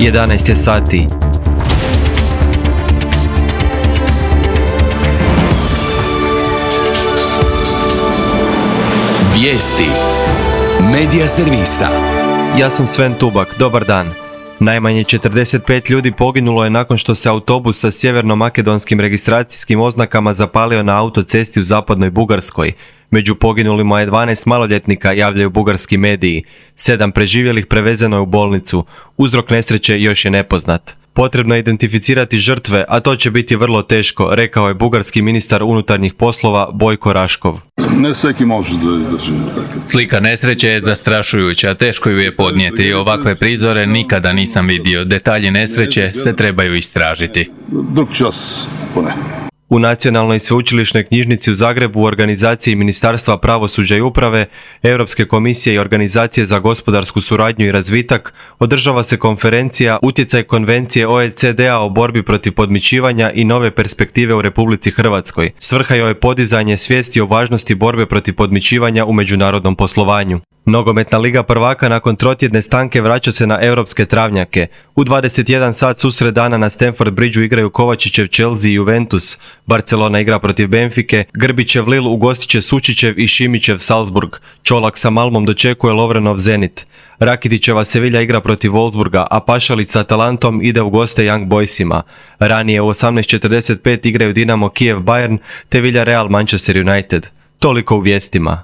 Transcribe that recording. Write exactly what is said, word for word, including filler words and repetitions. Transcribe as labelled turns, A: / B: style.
A: jedanaest je sati.
B: Vijesti Medija servisa.
A: Ja sam Sven Tubak, dobar dan. Najmanje četrdeset pet ljudi poginulo je nakon što se autobus sa sjeverno-makedonskim registracijskim oznakama zapalio na autocesti u zapadnoj Bugarskoj. Među poginulima je dvanaest maloljetnika, javljaju bugarski mediji. Sedam preživjelih prevezeno je u bolnicu. Uzrok nesreće još je nepoznat. Potrebno je identificirati žrtve, a to će biti vrlo teško, rekao je bugarski ministar unutarnjih poslova Bojko Raškov.
C: Ne svaki može da izdrži.
D: Slika nesreće je zastrašujuća, teško ju je podnijeti. Ovakve prizore nikada nisam vidio. Detalji nesreće se trebaju istražiti.
C: Drug čas, pone.
A: U Nacionalnoj sveučilišnoj knjižnici u Zagrebu u organizaciji Ministarstva pravosuđa i uprave, Europske komisije i Organizacije za gospodarsku suradnju i razvitak održava se konferencija Utjecaj konvencije O E C D-a o borbi protiv podmićivanja i nove perspektive u Republici Hrvatskoj. Svrha joj je podizanje svijesti o važnosti borbe protiv podmićivanja u međunarodnom poslovanju. Nogometna liga prvaka nakon trotjedne stanke vraća se na europske travnjake. U dvadeset jedan sat susred dana na Stamford Bridgeu igraju Kovačićev Chelsea i Juventus. Barcelona igra protiv Benfike, Grbićev Lille ugostit će Sučićev i Šimićev Salzburg. Čolak sa Malmom dočekuje Lovrenov Zenit. Rakitićeva Sevilla igra protiv Wolfsburga, a Pašalić sa Atalantom ide u goste Young Boysima. Ranije u osamnaest četrdeset pet igraju Dinamo Kijev Bayern te Villarreal Manchester United. Toliko u vijestima.